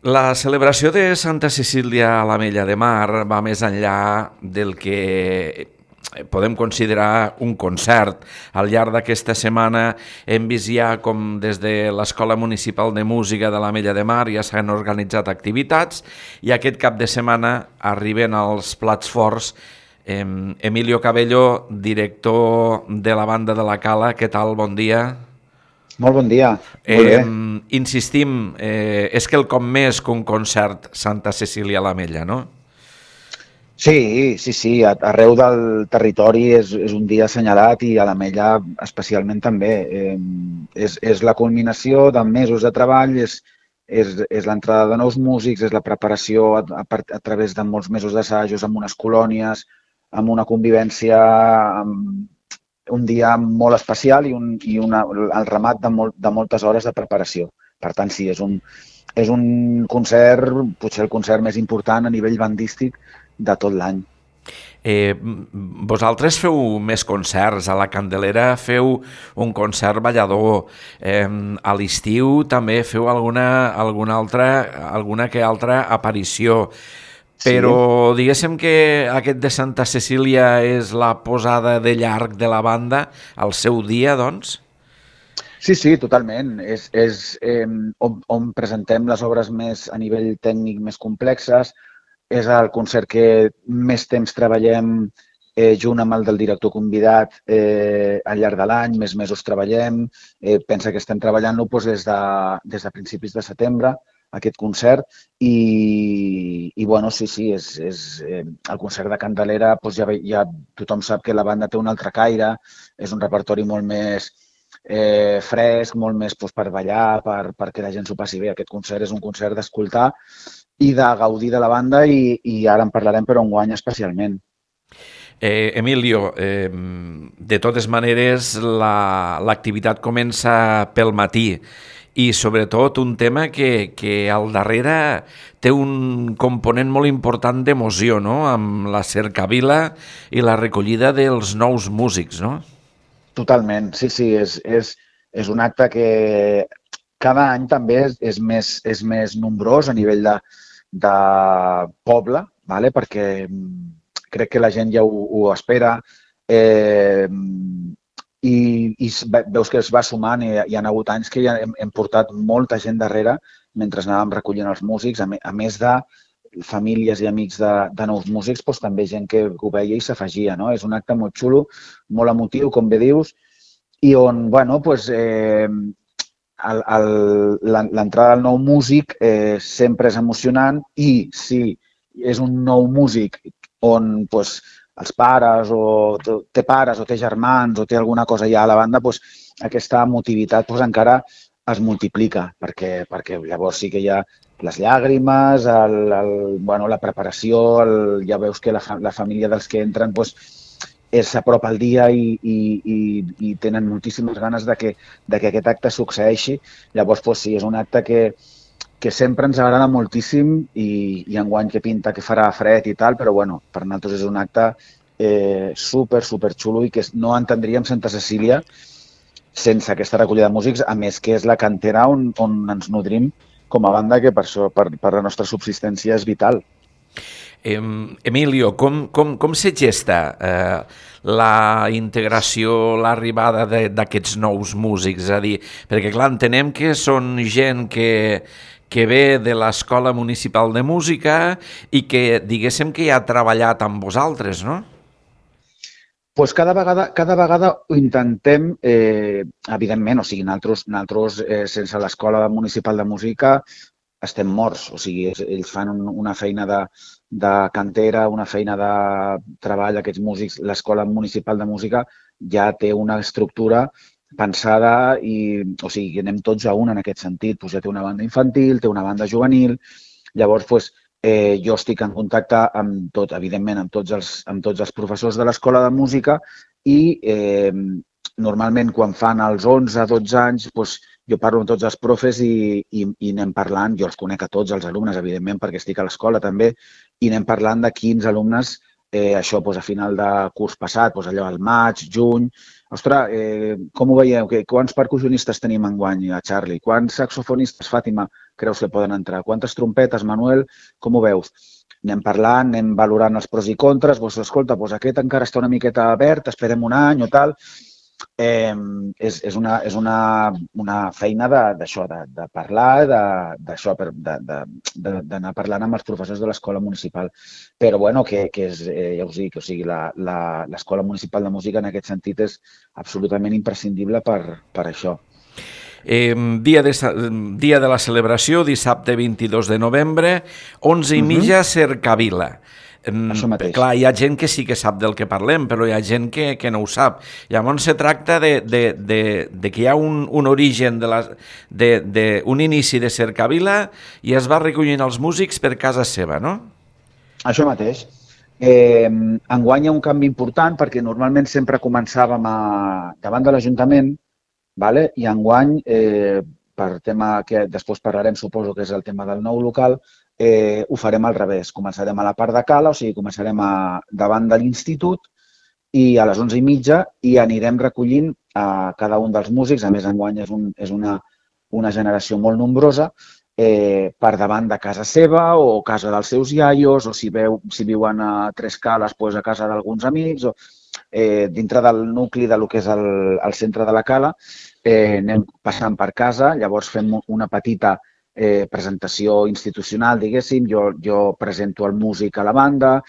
La celebració de Santa Cecília a l'Ametlla de Mar va més enllà del que podem considerar un concert. Al llarg d'aquesta setmana hem vist ja com des de l'Escola Municipal de Música de l'Ametlla de Mar ja s'han organitzat activitats i aquest cap de setmana arriben els plats forts. Emilio Cabello, director de la banda de la Cala, què tal? Bon dia. Molt bon dia, molt bé. Insistim, és quelcom més que un concert Santa Cecília a l'Ametlla, no? Sí, arreu del territori és un dia assenyalat i a l'Ametlla especialment també. És la culminació de mesos de treball, és l'entrada de nous músics, és la preparació a través de molts mesos d'assajos amb unes colònies, amb una convivència, amb un dia molt especial el remat de moltes hores de preparació. Per tant, sí, és un concert, potser el concert més important a nivell bandístic de tot l'any. Vosaltres feu més concerts, a la Candelera feu un concert ballador, a l'estiu també feu alguna que altra aparició, però Sí, diguéssim que aquest de Santa Cecília és la posada de llarg de la banda, al seu dia, doncs? sí, totalment. És on presentem les obres més a nivell tècnic més complexes. És el concert que més temps treballem junt amb el del director convidat al llarg de l'any, més mesos treballem. Pensa que estem treballant-lo doncs, des de principis de setembre, aquest concert, i bueno, sí, el concert de Candelera, doncs ja tothom sap que la banda té un altre caire, és un repertori molt més fresc, molt més doncs, per ballar, perquè la gent s'ho passi bé. Aquest concert és un concert d'escoltar i de gaudir de la banda i ara en parlarem, però enguany especialment. Emilio, de totes maneres l'activitat comença pel matí i sobretot un tema que al darrere té un component molt important d'emoció, no? Amb la cercavila i la recollida dels nous músics, no? Totalment, sí, és un acte que cada any també és més nombrós a nivell de poble, vale? Perquè crec que la gent ja ho espera i veus que es va sumant i hi ha hagut anys que ja hem portat molta gent darrere mentre anàvem recollint els músics, a més de famílies i amics de nous músics, doncs també gent que ho veia i s'afegia, no? És un acte molt xulo, molt emotiu, com bé dius, i on, bueno, doncs, l'entrada del nou músic sempre és emocionant i si és un nou músic on doncs, els pares o té pares o té germans o té alguna cosa ja a la banda, doncs, aquesta emotivitat doncs, encara es multiplica perquè llavors sí que hi ha les llàgrimes, bueno, la preparació, ja veus que la família dels que entren doncs, s'apropa al dia i tenen moltíssimes ganes de que aquest acte succeeixi. Llavors, doncs, sí, és un acte que sempre ens agrada moltíssim i enguany que pinta que farà fred i tal, però bueno, per nosaltres és un acte super xulo i que no entendríem Santa Cecília sense aquesta recollida de músics, a més que és la cantera on ens nodrim com a banda, que per això, per la nostra subsistència és vital. Emilio, com se gesta la integració, l'arribada d'aquests nous músics? És a dir, perquè clar, entenem que són gent que ve de l'Escola Municipal de Música i que diguéssim que ja ha treballat amb vosaltres, no? Pues cada vegada ho intentem, evidentment, o sigui, nosaltres sense l'Escola Municipal de Música estem morts, o sigui, ells fan una feina de cantera, una feina de treball, aquests músics, l'Escola Municipal de Música ja té una estructura pensada o sigui, anem tots a una en aquest sentit, doncs ja té una banda infantil, té una banda juvenil, llavors, doncs, jo estic en contacte amb tot, evidentment, amb tots els professors de l'escola de música i normalment quan fan els 11-12 anys doncs, jo parlo amb tots els profes i anem parlant, jo els conec a tots els alumnes, evidentment, perquè estic a l'escola també, i anem parlant de quins alumnes, això doncs, a final de curs passat, doncs, allò al maig, juny. Ostres, com ho veieu? Quants percussionistes tenim enguany a Charlie? Quants saxofonistes, Fàtima? creus que poden entrar? Quantes trompetes, Manuel? Com ho veus? Anem parlant, anem valorant els pros i contres, doncs escolta, doncs aquest encara està una miqueta verd, esperem un any o tal. És una feina d'això, de parlar, d'anar parlant amb els professors de l'escola municipal. Però, bueno, que és, ja us dic, o sigui, l'escola municipal de música en aquest sentit és absolutament imprescindible per això. Dia de la celebració, dissabte 22 de novembre, 11:30, Cercavila. Això mateix. Clar, hi ha gent que sí que sap del que parlem, però hi ha gent que no ho sap. Llavors se tracta de que hi ha un origen, un inici de Cercavila i es va recollint els músics per casa seva, no? Això mateix. Enguany hi ha un canvi important perquè normalment sempre començàvem davant de l'Ajuntament, vale? I enguany, per tema que després parlarem, suposo que és el tema del nou local, ho farem al revés. Començarem a la part de cala, o sigui, començarem davant de l'institut i a les 11:30 i anirem recollint a cada un dels músics. A més, enguany és una generació molt nombrosa, per davant de casa seva o casa dels seus iaios, o si viuen a Tres Cales, doncs a casa d'alguns amics, o dintre del nucli del que és el centre de la cala, anem passant per casa, llavors fem una petita presentació institucional, diguéssim, jo presento el músic a la banda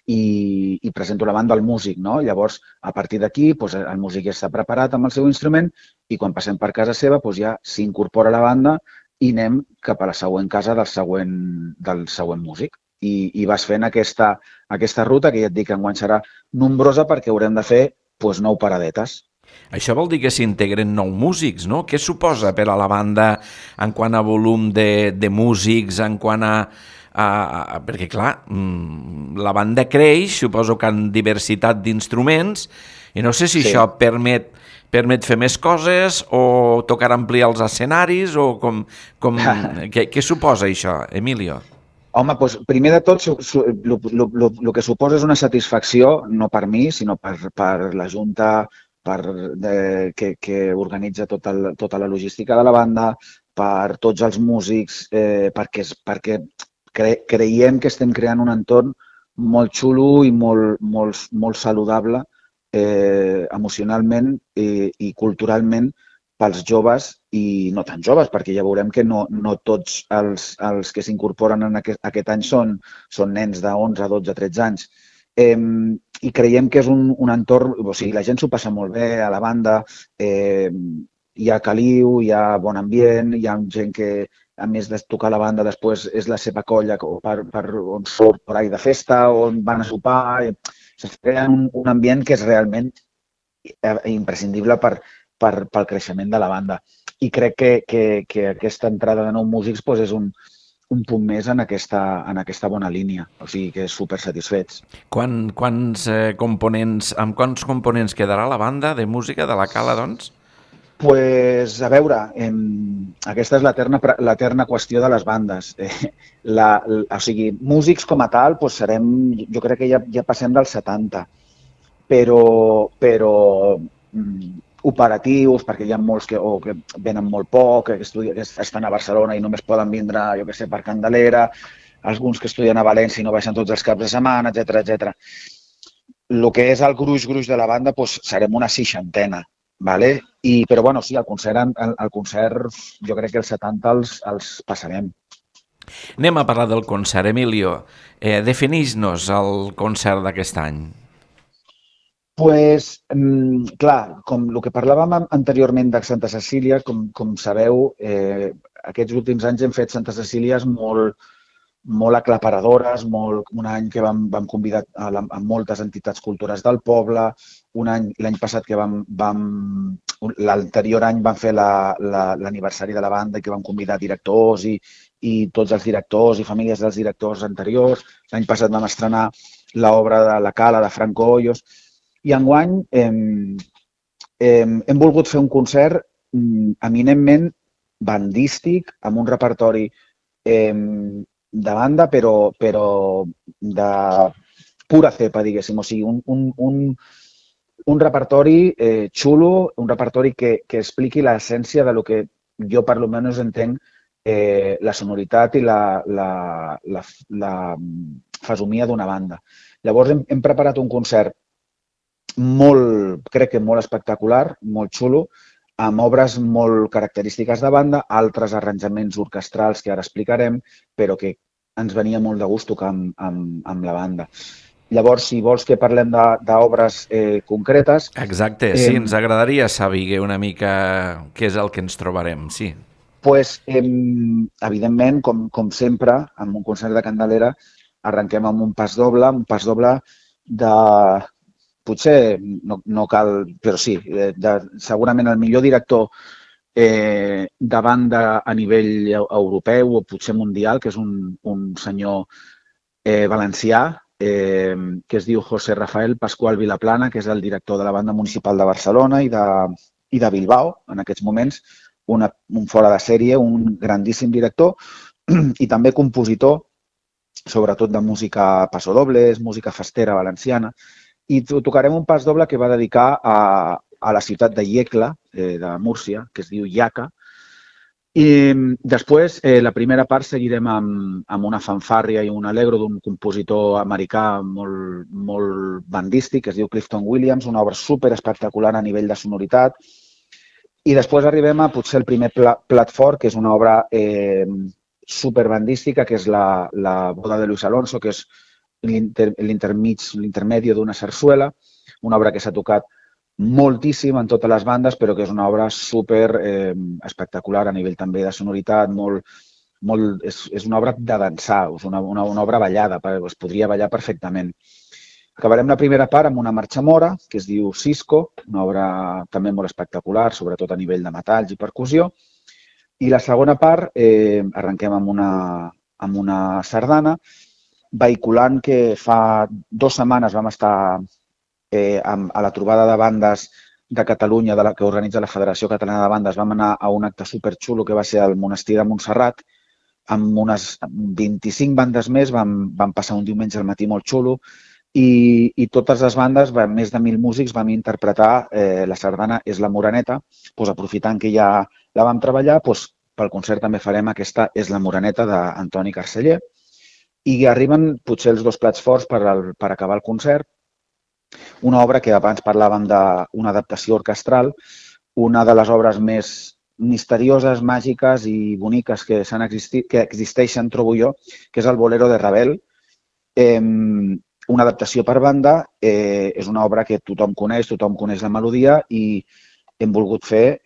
i presento la banda al músic, no? Llavors, a partir d'aquí, el músic ja està preparat amb el seu instrument i quan passem per casa seva ja s'incorpora a la banda i anem cap a la següent casa del següent músic. I vas fent aquesta ruta, que ja et dic que enguany serà nombrosa perquè haurem de fer 9 paradetes. Això vol dir que s'integren 9 músics, no? Què suposa per a la banda en quant a volum de músics, en quant perquè, clar, la banda creix, suposo que en diversitat d'instruments, i no sé si això permet fer més coses o tocar ampliar els escenaris o què suposa això, Emilio? Home, doncs, primer de tot, el que suposa és una satisfacció, no per mi, sinó per la Junta que organitza tota la logística de la banda, per tots els músics, perquè creiem que estem creant un entorn molt xulo i molt saludable emocionalment i culturalment pels joves i no tan joves, perquè ja veurem que no tots els que s'incorporen aquest any són nens de 11, 12, 13 anys. I creiem que és un entorn, o sigui, la gent s'ho passa molt bé a la banda, hi ha caliu, hi ha bon ambient, hi ha gent que, a més de tocar la banda, després és la seva colla on surt per ahí de festa, on van a sopar. Es crea un ambient que és realment imprescindible pel creixement de la banda. I crec que aquesta entrada de nous músics és un punt més en aquesta bona línia. O sigui que super satisfets. Amb quants components quedarà la banda de música de la Cala, doncs? Doncs, a veure, aquesta és l'eterna qüestió de les bandes. O sigui, músics com a tal, jo crec que ja passem dels 70, però operatius, perquè hi ha molts que venen molt poc, que estan a Barcelona i només poden vindre, jo què sé, per Candelera, alguns que estudien a València i no baixen tots els caps de setmana, etc. El que és el gruix de la banda, serem una 60, vale? Però bueno, sí, el concert jo crec que els 70 els passarem. Anem a parlar del concert, Emilio. Defineix-nos el concert d'aquest any. Doncs, clar, com el que parlàvem anteriorment de Santa Cecília, com sabeu, aquests últims anys hem fet Santa Cecílies molt aclaparadores, un any que vam convidar a moltes entitats culturals del poble, l'any passat que l'anterior any vam fer l'aniversari de la banda i que vam convidar directors i tots els directors i famílies dels directors anteriors. L'any passat vam estrenar l'obra de La Cala de Franco Hoyos. I enguany hem volgut fer un concert eminentment bandístic, amb un repertori de banda, però de pura cepa, diguéssim. O sigui, un repertori xulo, un repertori que expliqui l'essència de lo que jo, per almenys, entenc la sonoritat i la fesomia d'una banda. Llavors hem preparat un concert crec que molt espectacular, molt xulo, amb obres molt característiques de banda, altres arranjaments orquestrals que ara explicarem, però que ens venia molt de gust tocar amb la banda. Llavors, si vols que parlem d'obres concretes... Exacte, sí, ens agradaria saber una mica què és el que ens trobarem, sí. Pues, evidentment, com sempre, amb un concert de Candelera, arrenquem amb un pas doble de... Potser no cal, però sí, segurament el millor director de banda a nivell europeu o potser mundial, que és un senyor valencià, que es diu José Rafael Pascual Vilaplana, que és el director de la Banda Municipal de Barcelona i de Bilbao, en aquests moments, un fora de sèrie, un grandíssim director i també compositor, sobretot de música passodobles, música festera valenciana, i tocarem un pas doble que va dedicar a la ciutat de Iecla, de Múrcia, que es diu Iaca. I després, la primera part, seguirem amb una fanfàrria i un allegro d'un compositor americà molt bandístic, que es diu Clifton Williams, una obra superespectacular a nivell de sonoritat. I després arribem a potser el primer plat fort, que és una obra superbandística, que és la Boda de Luis Alonso, que és l'intermedi d'una sarsuela, una obra que s'ha tocat moltíssim en totes les bandes, però que és una obra super espectacular a nivell també de sonoritat, és una obra de dansar, és una obra ballada, es podria ballar perfectament. Acabarem la primera part amb una marxa mora, que es diu Cisco, una obra també molt espectacular, sobretot a nivell de metalls i percussió, i la segona part arrenquem amb una sardana, vehiculant que fa 2 setmanes vam estar a la trobada de bandes de Catalunya que organitza la Federació Catalana de Bandes. Vam anar a un acte superxulo que va ser al Monestir de Montserrat, amb unes 25 bandes més, vam passar un diumenge al matí molt xulo i totes les bandes, més de 1.000 músics, vam interpretar la sardana És la Moreneta, aprofitant que ja la vam treballar, pel concert també farem aquesta És la Moreneta d'Antoni Carceller. I arriben potser els 2 plats forts per acabar el concert. Una obra que abans parlàvem d'una adaptació orquestral, una de les obres més misterioses, màgiques i boniques que existeixen, trobo jo, que és el Bolero de Ravel. Una adaptació per banda, és una obra que tothom coneix la melodia i hem volgut fer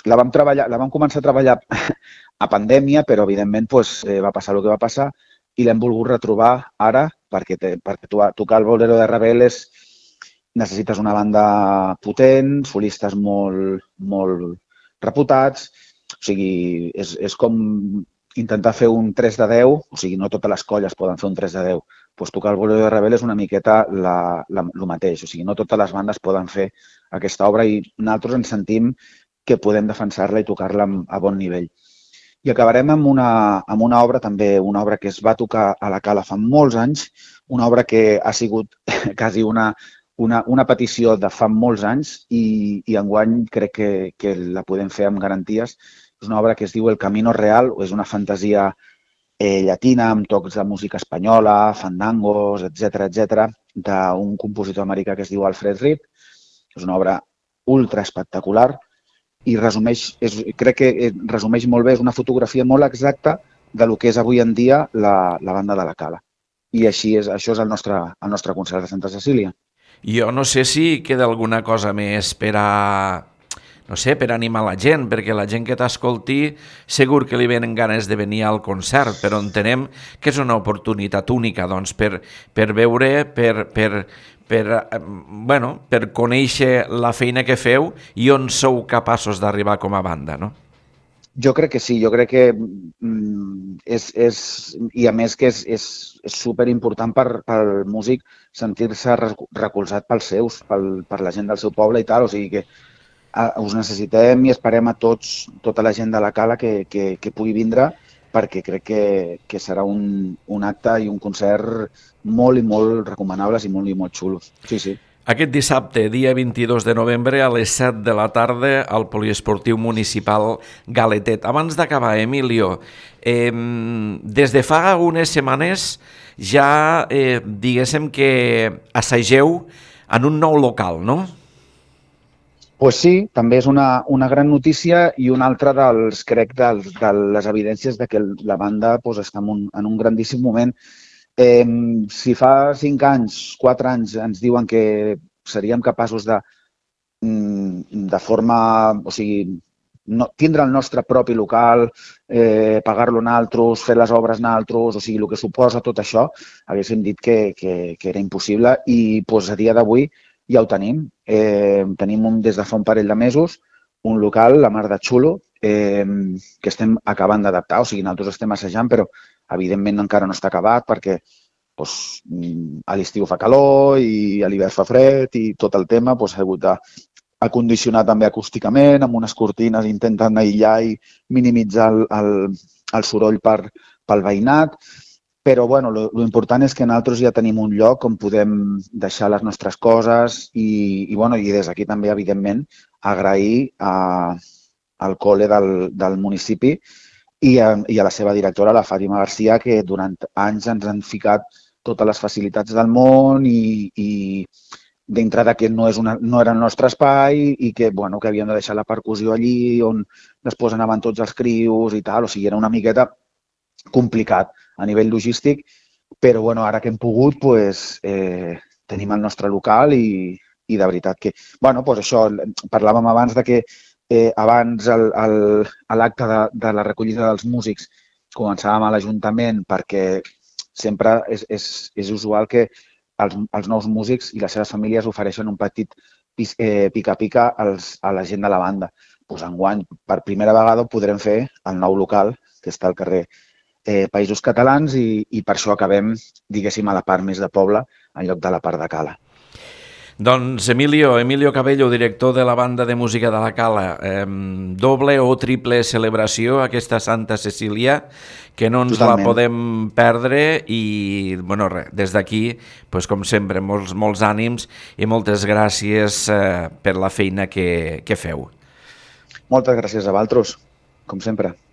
la vam començar a treballar a pandèmia, però evidentment va passar el que va passar i l'hem volgut retrobar ara perquè tocar el Bolero de Ravel necessites una banda potent, solistes molt reputats, o sigui, és com intentar fer un 3 de 10, o sigui, no totes les colles poden fer un 3 de 10, tocar el Bolero de Ravel és una miqueta el mateix, o sigui, no totes les bandes poden fer aquesta obra i nosaltres ens sentim que podem defensar-la i tocar-la a bon nivell. I acabarem amb una obra també, una obra que es va tocar a la Cala fa molts anys, una obra que ha sigut quasi una petició de fa molts anys i enguany crec que la podem fer amb garanties. És una obra que es diu El Camino Real, és una fantasia llatina amb tocs de música espanyola, fandangos, etc, d'un compositor americà que es diu Alfred Reed. És una obra ultra espectacular i crec que resumeix molt bé, és una fotografia molt exacta del que és avui en dia la banda de la Cala. I això és el nostre concert de Santa Cecília. Jo no sé si queda alguna cosa més per animar la gent, perquè la gent que t'escolti segur que li venen ganes de venir al concert, però entenem que és una oportunitat única per veure, per conèixer la feina que feu i on sou capaços d'arribar com a banda, no? Jo crec que sí, jo crec que i a més que és superimportant pel músic sentir-se recolzat pels seus, per la gent del seu poble i tal, o sigui que us necessitem i esperem a tota la gent de la Cala que pugui vindre perquè crec que serà un acte i un concert molt i molt recomanables i molt xulos. Sí, sí. Aquest dissabte, dia 22 de novembre, a les 7 de la tarda, al Poliesportiu Municipal Galetet. Abans d'acabar, Emilio, des de fa unes setmanes ja diguéssim que assageu en un nou local, no? Pues sí, també és una gran notícia i una altra de les evidències de que la banda pues, està en un grandíssim moment. Si fa 5 anys, 4 anys ens diuen que seríem capaços de forma, o sigui, tindre el nostre propi local, pagar-lo nosaltres, fer les obres nosaltres, o sigui, el que suposa tot això, haguéssim dit que era impossible i pues, a dia d'avui ja ho tenim. Tenim des de fa un parell de mesos un local, la mar de xulo, que estem acabant d'adaptar, o sigui, nosaltres estem assajant, però evidentment encara no està acabat perquè doncs, a l'estiu fa calor i a l'hivern fa fred i tot el tema doncs, ha hagut d'acondicionar també acústicament, amb unes cortines intentant aïllar i minimitzar el soroll pel veïnat. Però bueno, lo important és que nosaltres ja tenim un lloc on podem deixar les nostres coses i des d'aquí també, evidentment, agrair al col·le del municipi i a la seva directora, la Fàtima Garcia, que durant anys ens han ficat totes les facilitats del món i dintre de que no era el nostre espai i que havíem de deixar la percussió allí on després anaven tots els crios i tal. O sigui, era una miqueta complicat a nivell logístic, però ara que hem pogut tenim el nostre local i de veritat que... això, parlàvem abans de que abans a l'acte de la recollida dels músics començàvem a l'Ajuntament perquè sempre és usual que els nous músics i les seves famílies ofereixen un petit pica-pica a la gent de la banda. Enguany, per primera vegada, ho podrem fer al nou local, que està al carrer Països Catalans i per això acabem, diguéssim, a la part més de poble en lloc de la part de Cala. Doncs Emilio Cabello, director de la banda de música de la Cala, doble o triple celebració aquesta Santa Cecília, que no ens la podem perdre i, des d'aquí, com sempre, molts ànims i moltes gràcies per la feina que feu. Moltes gràcies a vosaltres, com sempre.